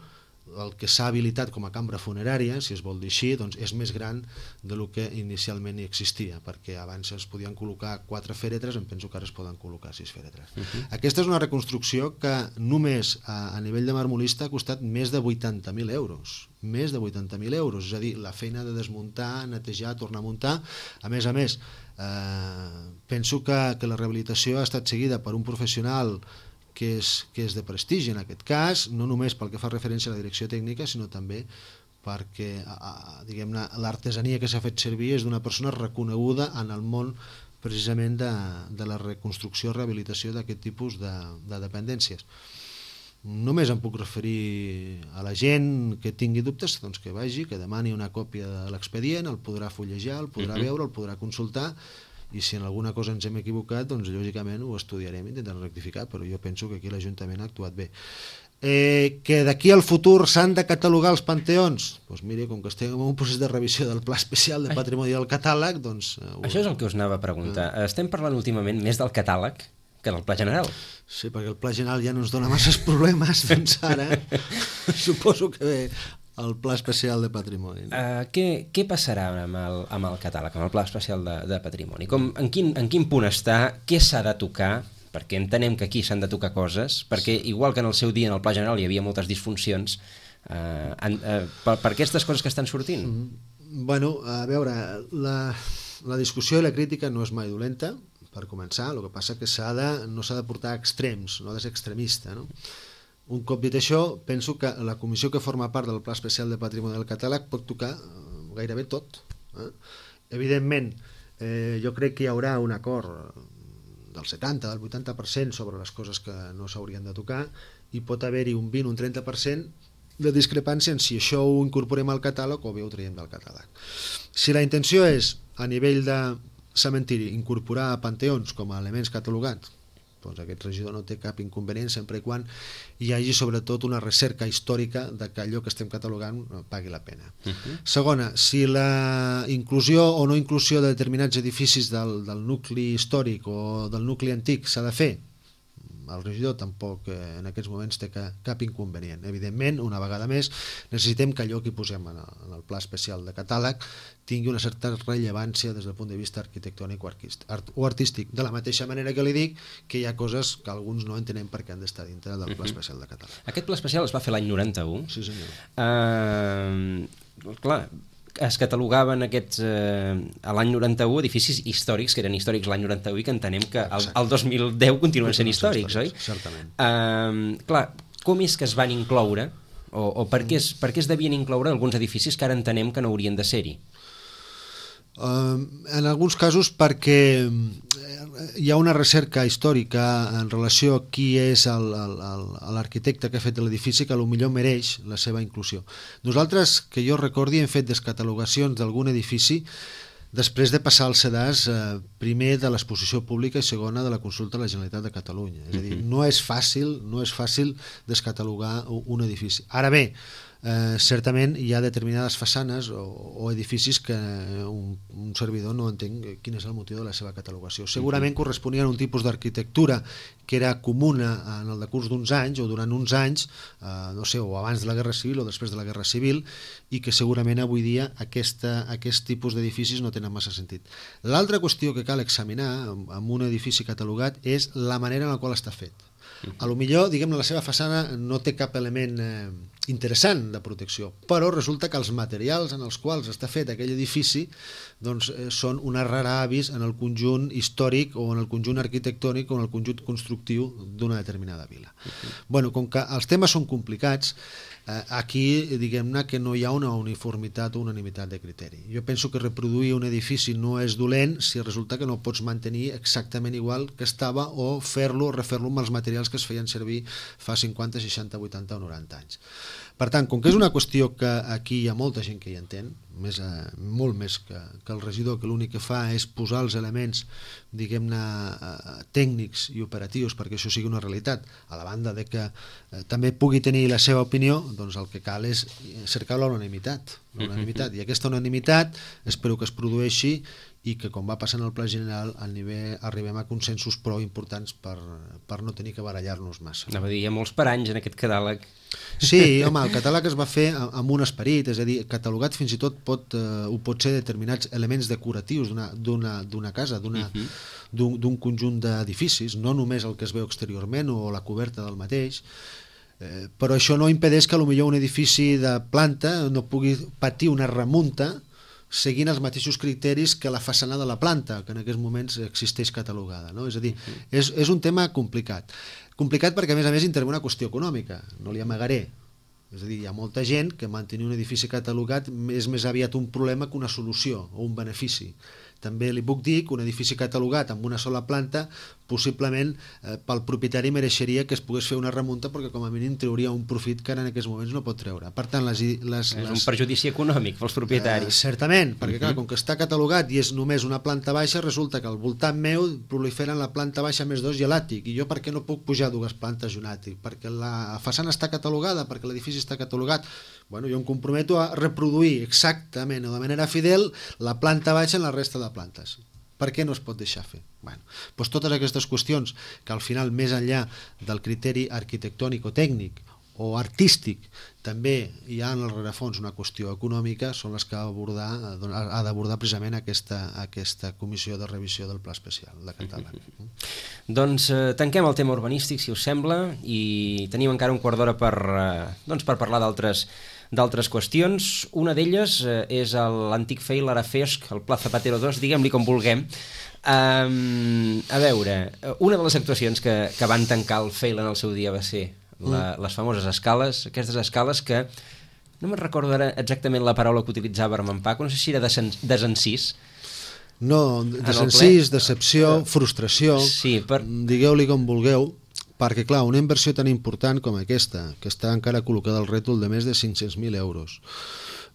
el que s'ha habilitat com a cambra funerària, si es vol dir així, doncs és més gran del que inicialment hi existia, perquè abans es podien col·locar quatre fèretres, em penso que ara es poden col·locar sis fèretres. Uh-huh. Aquesta és una reconstrucció que només a, a nivell de marmolista ha costat més de vuitanta mil euros. Més de vuitanta mil euros, és a dir, la feina de desmuntar, netejar, tornar a muntar. A més a més, eh, penso que, que la rehabilitació ha estat seguida per un professional que és, que és de prestigi en aquest cas, no només pel que fa referència a la direcció tècnica, sinó també perquè diguem-ne l'artesania que s'ha fet servir és d'una persona reconeguda en el món precisament de, de la reconstrucció o rehabilitació d'aquest tipus de, de dependències. Només em puc referir a la gent que tingui dubtes, doncs que vagi, que demani una còpia de l'expedient, el podrà fullejar, el podrà uh-huh. veure, el podrà consultar, i si en alguna cosa ens hem equivocat, doncs lògicament ho estudiarem i intentarem rectificar, però jo penso que aquí l'Ajuntament ha actuat bé. Eh, que d'aquí al futur s'han de catalogar els panteons? Doncs mire, com que estem en un procés de revisió del Pla Especial de Patrimoni del Catàleg, doncs... Eh, Això és el que us anava a preguntar. Eh. Estem parlant últimament més del catàleg que del Pla General. Sí, perquè el Pla General ja no ens dona masses problemes, doncs ara suposo que ve el Pla Especial de Patrimoni. No? Uh, què, què passarà amb el, amb el catàleg, amb el Pla Especial de, de Patrimoni? Com, en, quin, en quin punt està? Què s'ha de tocar? Perquè entenem que aquí s'han de tocar coses, perquè igual que en el seu dia en el Pla General hi havia moltes disfuncions, uh, en, uh, per, per aquestes coses que estan sortint? Mm, bueno, a veure, la, la discussió i la crítica no és mai dolenta, per començar, el que passa que s'ha de, no s'ha de portar a extrems, no ha de ser extremista, no? Un cop dit això, penso que la comissió que forma part del Pla Especial de Patrimoni del Catàleg pot tocar gairebé tot. Eh? Evidentment, eh, jo crec que hi haurà un acord del setanta, del vuitanta per cent sobre les coses que no s'haurien de tocar, i pot haver-hi un vint, un trenta per cent de discrepància en si això ho incorporem al catàleg o bé ho traiem del catàleg. Si la intenció és, a nivell de cementiri, incorporar panteons com a elements catalogats, doncs aquest regidor no té cap inconvenient sempre i quan hi hagi sobretot una recerca històrica de que allò que estem catalogant pagui la pena. Uh-huh. Segona, si la inclusió o no inclusió de determinats edificis del, del nucli històric o del nucli antic s'ha de fer, el regidor tampoc eh, en aquests moments té que, cap inconvenient. Evidentment, una vegada més, necessitem que allò que hi posem en el, en el pla especial de catàleg tingui una certa rellevància des del punt de vista arquitectònic o, art, o artístic. De la mateixa manera que li dic que hi ha coses que alguns no entenem per què han d'estar dintre del pla especial de catàleg. Aquest pla especial es va fer l'any noranta-u. Sí, senyor. Uh, clar, es catalogaven aquests, eh, a l'any noranta-u edificis històrics, que eren històrics l'any noranta-u i que entenem que el, el dos mil deu continuen sent històrics, oi? Certament. Uh, clar, com és que es van incloure, o, o per, què es, per què es devien incloure alguns edificis que ara entenem que no haurien de ser-hi? Uh, en alguns casos perquè hi ha una recerca històrica en relació a qui és l'arquitecte que ha fet l'edifici que potser mereix la seva inclusió. Nosaltres, que jo recordi, hem fet descatalogacions d'algun edifici després de passar el sedàs, eh, primer de l'exposició pública i segona de la consulta a la Generalitat de Catalunya. És a dir, no és fàcil, no és fàcil descatalogar un edifici. Ara bé, Eh, certament hi ha determinades façanes o, o edificis que un, un servidor no entenc quin és el motiu de la seva catalogació. Segurament corresponien a un tipus d'arquitectura que era comuna en el decurs d'uns anys o durant uns anys, eh, no sé, o abans de la Guerra Civil o després de la Guerra Civil, i que segurament avui dia aquesta, aquest tipus d'edificis no tenen massa sentit. L'altra qüestió que cal examinar amb un edifici catalogat és la manera en la qual està fet. A lo millor, diguem-ne, la seva façana no té cap element eh, interessant de protecció, però resulta que els materials en els quals està fet aquell edifici doncs, eh, són una rara avis en el conjunt històric o en el conjunt arquitectònic o en el conjunt constructiu d'una determinada vila. Uh-huh. Bueno, com que els temes són complicats, eh, aquí diguem-ne que no hi ha una uniformitat o unanimitat de criteri. Jo penso que reproduir un edifici no és dolent si resulta que no pots mantenir exactament igual que estava o fer-lo o refer-lo amb els materials que es feien servir fa cinquanta, seixanta, vuitanta o noranta anys. Per tant, com que és una qüestió que aquí hi ha molta gent que hi entén, més, eh, molt més que, que el regidor, que l'únic que fa és posar els elements, diguem-ne, eh, tècnics i operatius perquè això sigui una realitat, a la banda de que eh, també pugui tenir la seva opinió, doncs el que cal és cercar la unanimitat, la unanimitat. I aquesta unanimitat espero que es produeixi i que, com va passar en el pla general, al nivell arribem a consensos prou importants per, per no tenir que barallar-nos massa. Anava a dir, hi ha molts paranys en aquest catàleg. Sí, home, el catàleg es va fer amb un esperit, és a dir, catalogat fins i tot pot, eh, ho pot ser determinats elements decoratius d'una casa, d'un uh-huh. conjunt d'edificis, no només el que es veu exteriorment o la coberta del mateix, eh, però això no impedeix que potser un edifici de planta no pugui patir una remunta seguint els mateixos criteris que la façana de la planta, que en aquests moments existeix catalogada. No? És a dir, és, és un tema complicat. Complicat perquè, a més a més, intervé una qüestió econòmica, no li amagaré. És a dir, hi ha molta gent que mantenir un edifici catalogat és més aviat un problema que una solució o un benefici. També li puc dir que un edifici catalogat amb una sola planta possiblement eh, pel propietari mereixeria que es pogués fer una remunta perquè com a mínim trauria un profit que ara en aquests moments no pot treure. Per tant, les, les, és les, un perjudici econòmic pels propietaris. Eh, certament, perquè uh-huh. clar, com que està catalogat i és només una planta baixa, resulta que al voltant meu proliferen la planta baixa més dos i l'àtic, i jo per què no puc pujar dues plantes i un àtic? Perquè la façana està catalogada, perquè l'edifici està catalogat. Bueno, jo em comprometo a reproduir exactament o de manera fidel la planta baixa en la resta de plantes. Per què no es pot deixar fer? Bueno, doncs totes aquestes qüestions que al final, més enllà del criteri arquitectònic o tècnic o artístic, també hi ha en el rerefons una qüestió econòmica, són les que ha abordar, ha d'abordar precisament aquesta, aquesta comissió de revisió del Pla Especial de Català. Doncs eh, tanquem el tema urbanístic, si us sembla, i tenim encara un quart d'hora per, eh, doncs per parlar d'altres d'altres qüestions. Una d'elles eh, és l'antic F E I, l'Arafesc, el Pla Zapatero dos, diguem-li com vulguem. Um, a veure, una de les actuacions que, que van tancar el F E I en el seu dia va ser la, les famoses escales, aquestes escales que no me'n recordo ara exactament la paraula que utilitzava Armand Paco, no sé si era desencís. No, desencís, decepció, frustració, sí, per... digueu-li com vulgueu, perquè clar, una inversió tan important com aquesta, que està encara col·locada al rètol de més de cinc-cents mil euros,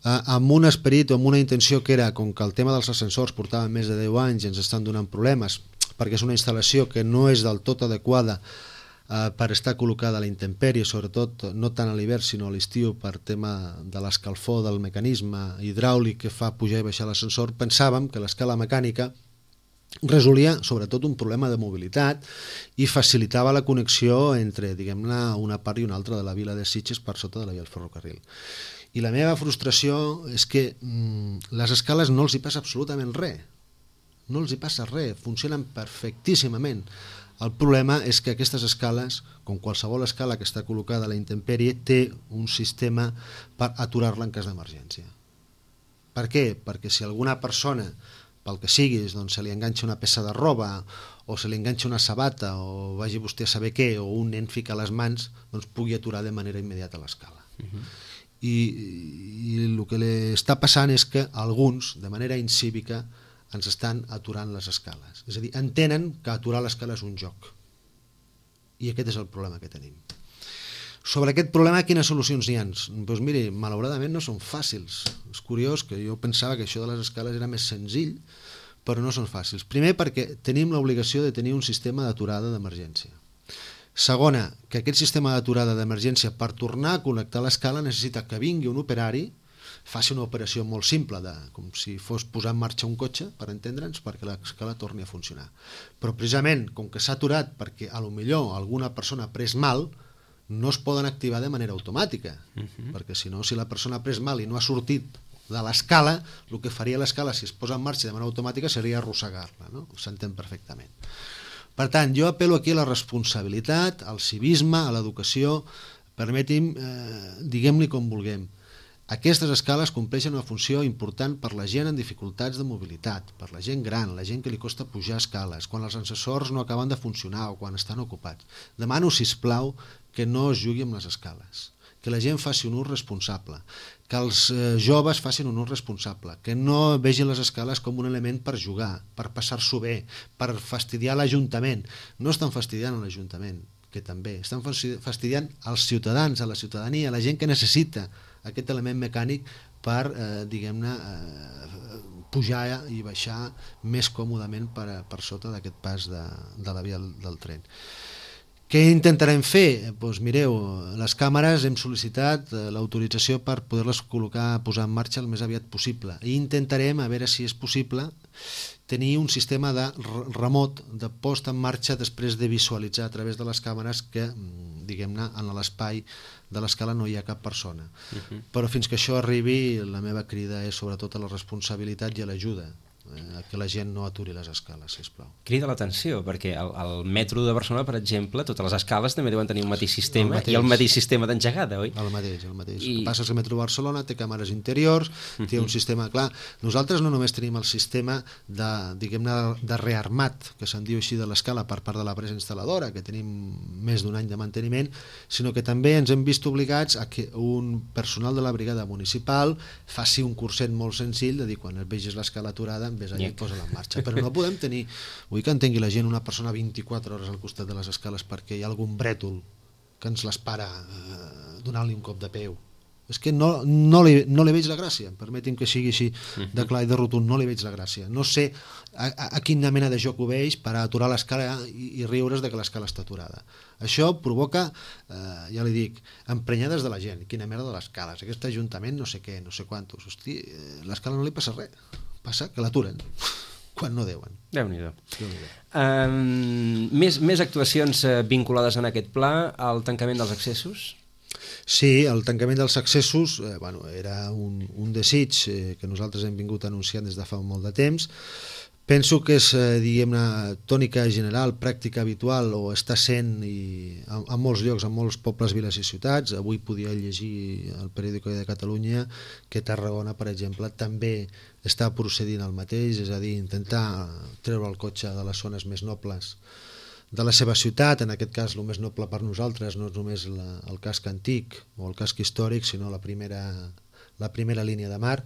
eh, amb un esperit o amb una intenció que era, com que el tema dels ascensors portava més de deu anys i ens estan donant problemes, perquè és una instal·lació que no és del tot adequada eh, per estar col·locada a la intempèrie, sobretot no tant a l'hivern sinó a l'estiu, per tema de l'escalfor del mecanisme hidràulic que fa pujar i baixar l'ascensor, pensàvem que l'escala mecànica resolia sobretot un problema de mobilitat i facilitava la connexió entre, diguem-ne, una part i una altra de la vila de Sitges per sota de la via del ferrocarril. I la meva frustració és que mm, les escales no els hi passa absolutament res. No els hi passa res, funcionen perfectíssimament. El problema és que aquestes escales, com qualsevol escala que està col·locada a la intempèrie, té un sistema per aturar-la en cas d'emergència. Per què? Perquè si alguna persona, pel que siguis, doncs se li enganxa una peça de roba o se li enganxa una sabata o vagi vostè a saber què, o un nen fica les mans, doncs pugui aturar de manera immediata l'escala. Uh-huh. I, i el que li està passant és que alguns, de manera incívica, ens estan aturant les escales. És a dir, entenen que aturar l'escala és un joc. I aquest és el problema que tenim. Sobre aquest problema, quines solucions hi ha? Doncs miri, malauradament no són fàcils. És curiós que jo pensava que això de les escales era més senzill, però no són fàcils. Primer, perquè tenim l'obligació de tenir un sistema d'aturada d'emergència. Segona, que aquest sistema d'aturada d'emergència, per tornar a connectar l'escala, necessita que vingui un operari, faci una operació molt simple, de, com si fos posar en marxa un cotxe, per entendre'ns, perquè l'escala torni a funcionar. Però precisament, com que s'ha aturat perquè a lo millor alguna persona ha pres mal, no es poden activar de manera automàtica, uh-huh. perquè si no, si la persona ha pres mal i no ha sortit de l'escala, el que faria l'escala si es posa en marxa de manera automàtica seria arrossegar-la, no? S'entén perfectament. Per tant, jo apel·lo aquí a la responsabilitat, al civisme, a l'educació, permeti'm, eh, diguem-li com vulguem. Aquestes escales compleixen una funció important per la gent en dificultats de mobilitat, per la gent gran, la gent que li costa pujar escales, quan els ascensors no acaben de funcionar o quan estan ocupats. Demano, sisplau, que no es jugui amb les escales, que la gent faci un ús responsable, que els eh, joves facin un ús responsable, que no vegin les escales com un element per jugar, per passar-s'ho bé, per fastidiar l'Ajuntament. No estan fastidiant l'Ajuntament, que també, estan fastidiant els ciutadans, a la ciutadania, a la gent que necessita aquest element mecànic per, eh, diguem-ne, eh, pujar i baixar més còmodament per, per sota d'aquest pas de, de la via del, del tren. Què intentarem fer? Doncs mireu, les càmeres hem sol·licitat l'autorització per poder-les col·locar, posar en marxa el més aviat possible. I intentarem, a veure si és possible, tenir un sistema de remot, de post en marxa després de visualitzar a través de les càmeres que, diguem-ne, en l'espai de l'escala no hi ha cap persona. Uh-huh. Però fins que això arribi, la meva crida és sobretot a la responsabilitat i a l'ajuda, eh, que la gent no aturi les escales, sisplau. Crida l'atenció, perquè al, al metro de Barcelona, per exemple, totes les escales també deuen tenir un mateix sistema, el mateix. I el mateix sistema d'engegada, oi? El mateix, el mateix. I... El que passa és que el metro de Barcelona té càmeres interiors, uh-huh. té un sistema clar. Nosaltres no només tenim el sistema de, diguem-ne, de rearmat, que se'n diu així, de l'escala per part de l'empresa instal·ladora, que tenim més d'un any de manteniment, sinó que també ens hem vist obligats a que un personal de la brigada municipal faci un curset molt senzill de dir, quan et vegis l'escala aturada, interessant, vés allà i posa-la en marxa. Però no podem tenir, vull que entengui la gent, una persona vint-i-quatre hores al costat de les escales perquè hi ha algun brètol que ens les para eh, donant-li un cop de peu. És que no, no, li, no li veig la gràcia, permeti'm que sigui així de clar i de rotund, no li veig la gràcia. No sé a, a, a quina mena de joc ho veig per aturar l'escala i, i riure's de que l'escala està aturada. Això provoca, eh, ja li dic, emprenyades de la gent. Quina merda de les escales, aquest ajuntament no sé què, no sé quantos. Hosti, eh, l'escala no li passa res, passa que l'aturen quan no deuen. Déu-n'hi-do. Déu-n'hi-do. Um, més, més actuacions uh, vinculades en aquest pla, el tancament dels accessos? Sí, el tancament dels accessos eh, bueno, era un, un desig eh, que nosaltres hem vingut anunciant des de fa molt de temps. Penso que és, eh, diguem-ne, tònica general, pràctica habitual, o està sent i, en, en molts llocs, en molts pobles, viles i ciutats. Avui podia llegir al Periòdico de Catalunya que Tarragona, per exemple, també està procedint al mateix, és a dir, intentar treure el cotxe de les zones més nobles de la seva ciutat. En aquest cas el més noble per nosaltres no és només la, el casc antic o el casc històric, sinó la primera, la primera línia de mar,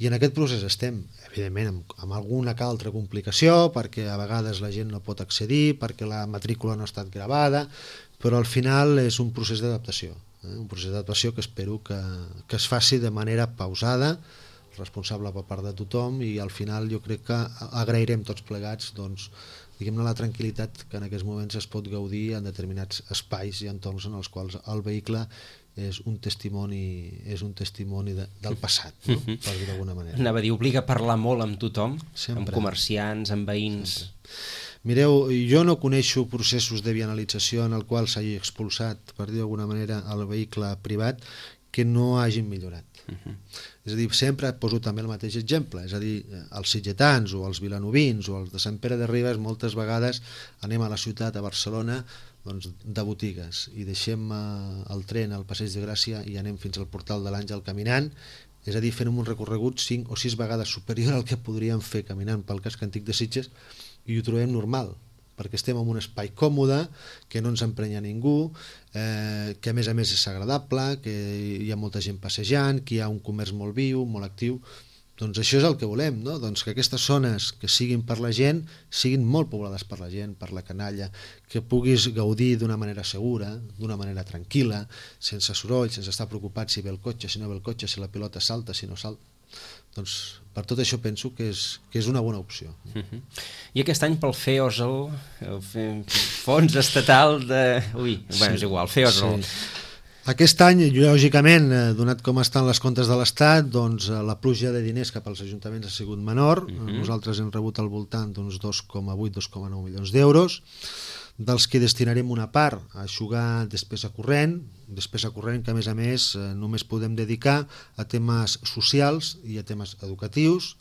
i en aquest procés estem, evidentment, amb, amb alguna que altra complicació, perquè a vegades la gent no pot accedir, perquè la matrícula no ha estat gravada, però al final és un procés d'adaptació, eh? un procés d'adaptació que espero que, que es faci de manera pausada, responsable per part de tothom, i al final jo crec que agrairem tots plegats, doncs, diguem-ne, la tranquil·litat que en aquests moments es pot gaudir en determinats espais i entorns en els quals el vehicle és un testimoni, és un testimoni de, del passat, no? Per dir d'alguna manera. Anava a dir, obliga a parlar molt amb tothom, sempre, amb comerciants, amb veïns. Sempre. Mireu, jo no coneixo processos de vianalització en el qual s'hagi expulsat, per dir d'alguna manera, el vehicle privat que no hagin millorat. Uh-huh. És a dir, sempre poso també el mateix exemple, és a dir, els sitgetans o els vilanovins o els de Sant Pere de Ribes moltes vegades anem a la ciutat, a Barcelona, doncs, de botigues, i deixem eh, el tren al Passeig de Gràcia i anem fins al Portal de l'Àngel caminant, és a dir, fent un recorregut cinc o sis vegades superior al que podríem fer caminant pel casc antic de Sitges, i ho trobem normal, perquè estem en un espai còmode, que no ens emprenya ningú, eh, que a més a més és agradable, que hi ha molta gent passejant, que hi ha un comerç molt viu, molt actiu. Doncs això és el que volem, no? Doncs que aquestes zones que siguin per la gent siguin molt poblades per la gent, per la canalla, que puguis gaudir d'una manera segura, d'una manera tranquil·la, sense soroll, sense estar preocupat si ve el cotxe, si no ve el cotxe, si la pilota salta, si no salta. Doncs per tot això penso que és, que és una bona opció. Uh-huh. I aquest any pel F E O S L, el Fons Estatal de... Ui, sí, bueno, és igual, F E O S L. Sí. Aquest any, lògicament, donat com estan les comptes de l'Estat, doncs la pluja de diners cap als ajuntaments ha sigut menor. Uh-huh. Nosaltres hem rebut al voltant d'uns dos coma vuit a dos coma nou milions d'euros, dels que destinarem una part a eixugar despesa corrent, despesa corrent que a més a més només podem dedicar a temes socials i a temes educatius,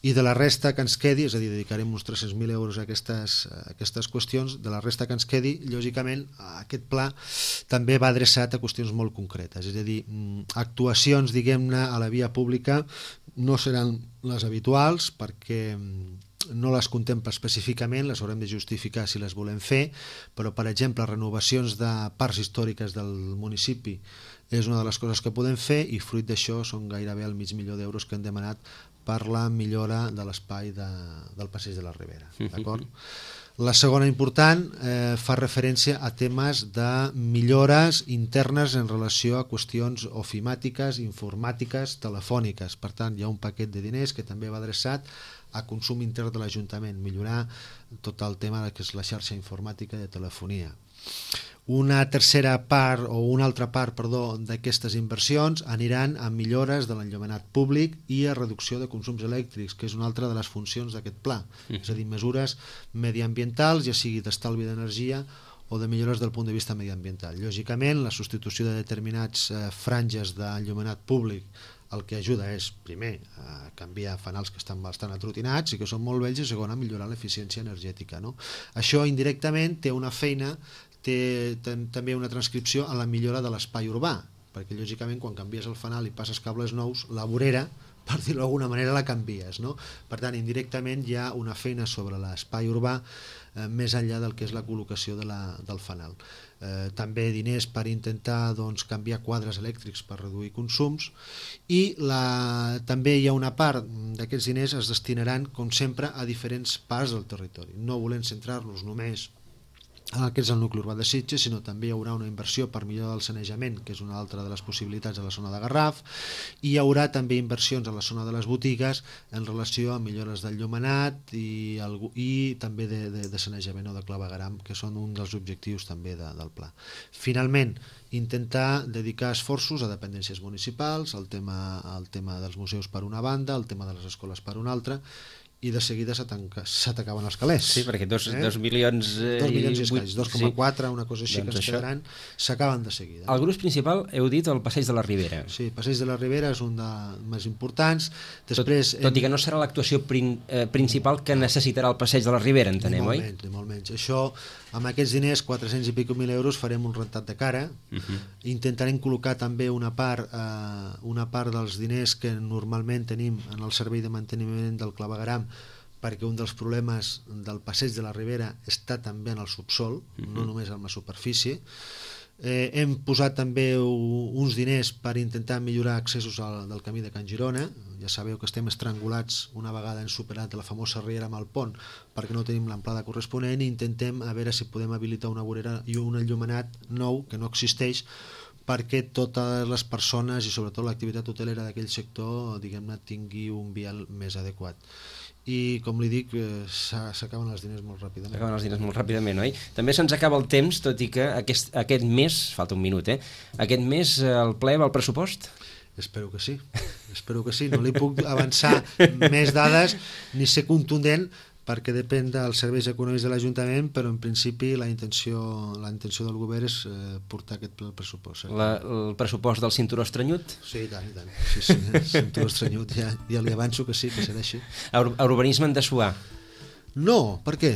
i de la resta que ens quedi, és a dir, dedicarem uns tres-cents mil euros a aquestes, a aquestes qüestions, de la resta que ens quedi, lògicament, aquest pla també va adreçat a qüestions molt concretes, és a dir, actuacions, diguem-ne, a la via pública no seran les habituals, perquè no les contempla específicament, les haurem de justificar si les volem fer, però per exemple renovacions de parts històriques del municipi és una de les coses que podem fer, i fruit d'això són gairebé el mig milió d'euros que hem demanat per la millora de l'espai de, del Passeig de la Ribera, d'acord? La segona important eh, fa referència a temes de millores internes en relació a qüestions ofimàtiques, informàtiques, telefòniques. Per tant, hi ha un paquet de diners que també va adreçat a consum intern de l'Ajuntament, millorar tot el tema que és la xarxa informàtica de telefonia. Una tercera part, o una altra part, perdó, d'aquestes inversions aniran a millores de l'enllumenat públic i a reducció de consums elèctrics, que és una altra de les funcions d'aquest pla, mm. és a dir, mesures mediambientals, ja sigui d'estalvi d'energia o de millores del punt de vista mediambiental. Lògicament, la substitució de determinats eh, franges d'enllumenat públic el que ajuda és, primer, a canviar fanals que estan bastant atrotinats i que són molt vells, i segon, a millorar l'eficiència energètica, no? Això indirectament té una feina, té també una transcripció a la millora de l'espai urbà, perquè lògicament quan canvies el fanal i passes cables nous, la vorera, per dir-ho d'alguna manera, la canvies, no? Per tant, indirectament hi ha una feina sobre l'espai urbà eh, més enllà del que és la col·locació de la, del fanal. Eh, també diners per intentar doncs, canviar quadres elèctrics per reduir consums, i la, també hi ha una part d'aquests diners es destinaran, com sempre, a diferents parts del territori, no volent centrar-nos només en el que és el nucli urbà de Sitges, sinó també hi haurà una inversió per millorar el sanejament, que és una altra de les possibilitats a la zona de Garraf, i hi haurà també inversions a la zona de les botigues en relació a millores del llumenat i, el, i també de, de, de sanejament o de clavegueram, que són un dels objectius també de, del pla. Finalment, intentar dedicar esforços a dependències municipals, el tema, el tema dels museus per una banda, el tema de les escoles per una altra, i de seguida s'atacaven els calés. Sí, perquè dos, eh? dos milions... Eh, dos milions i escaig, dos coma quatre, sí. Una cosa així, doncs que es quedaran, s'acaben de seguida. El gruix principal, heu dit, el Passeig de la Ribera. Sí, Passeig de la Ribera és un dels més importants. Després, tot, tot i que no serà l'actuació prin, eh, principal que necessitarà el Passeig de la Ribera, entenem, oi? Ni molt menys, ni molt menys. Això, amb aquests diners, quatre-cents i pico mil euros, farem un rentat de cara. Uh-huh. Intentarem col·locar també una part, eh, una part dels diners que normalment tenim en el servei de manteniment del clavegueram, perquè un dels problemes del Passeig de la Ribera està també en el subsol, uh-huh. no només en la superfície. Eh, hem posat també uns diners per intentar millorar accessos al, del camí de Can Girona. Ja sabeu que estem estrangulats una vegada hem superat la famosa riera amb el pont perquè no tenim l'amplada corresponent, i intentem a veure si podem habilitar una vorera i un enllumenat nou que no existeix, perquè totes les persones i sobretot l'activitat hotelera d'aquell sector, diguem-ne, tingui un vial més adequat. I com li dic, s'acaben els diners molt ràpidament. S'acaben els diners molt ràpidament, oi? També se'ns acaba el temps, tot i que aquest, aquest mes, falta un minut, eh? Aquest mes el ple va al pressupost? Espero que sí, espero que sí. No li puc avançar més dades ni ser contundent, perquè depèn dels serveis econòmics de l'Ajuntament, però en principi la intenció, la intenció del govern és eh, portar aquest pressupost. La, el pressupost del cinturó estranyut? Sí, i tant, i tant. Sí, sí, el cinturó estranyut, ja, ja li avanço que sí, que serà així. A, ur a urbanisme en dessuar? No, per què?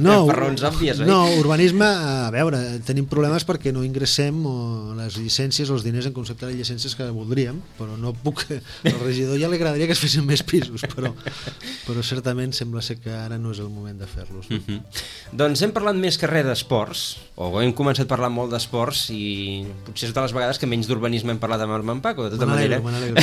No, per raons òbvies, oi? No, urbanisme, a veure, tenim problemes perquè no ingressem les llicències o els diners en concepte de llicències que voldríem, però no puc... Al regidor ja li agradaria que es fessin més pisos, però, però certament sembla ser que ara no és el moment de fer-los. Uh -huh. Doncs hem parlat més que res d'esports, o hem començat parlant molt d'esports, i potser és de les vegades que menys d'urbanisme hem parlat amb en Paco, de tota manera. Me n'alegro.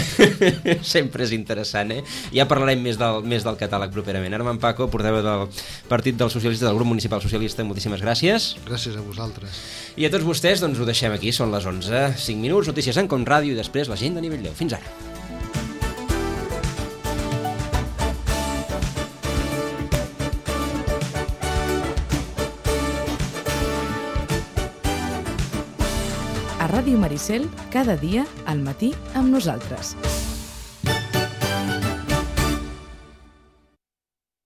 Sempre és interessant, eh? Ja parlarem més del, més del catàleg properament. Armand Paco, portaveu del Partit dels Socialistes, del Grup Municipal Socialista, moltíssimes gràcies. Gràcies a vosaltres. I a tots vostès, doncs ho deixem aquí, són les onze, cinc minuts, notícies en Com Ràdio i després l'agenda a nivell deu. Fins ara. A Ràdio Maricel, cada dia, al matí, amb nosaltres.